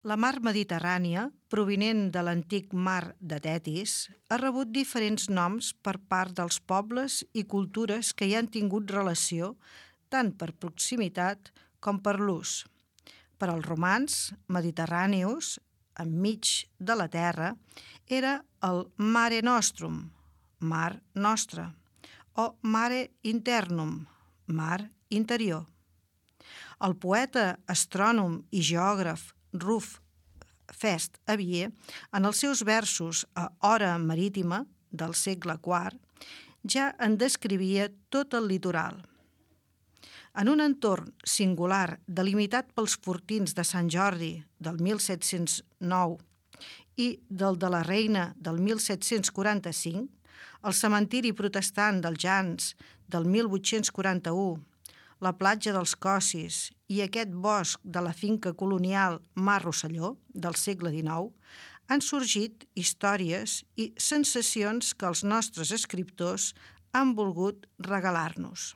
La mar Mediterrània, provinent de l'antic mar de Tetis, ha rebut diferents noms per part dels pobles i cultures que hi han tingut relació tant per proximitat com per l'ús. Per als romans, Mediterrànius, enmig de la terra, era el Mare Nostrum, mar nostre, o Mare Internum, mar interior. El poeta, astrònom i geògraf Ruf Fest Avier, en els seus versos a Hora marítima del segle IV, ja en descrivia tot el litoral. En un entorn singular delimitat pels fortins de Sant Jordi del 1709 i del de la Reina del 1745, el cementiri protestant dels Jans del 1841, la platja dels Cossis i aquest bosc de la finca colonial Mar Rosselló del segle XIX han sorgit històries i sensacions que els nostres escriptors han volgut regalar-nos.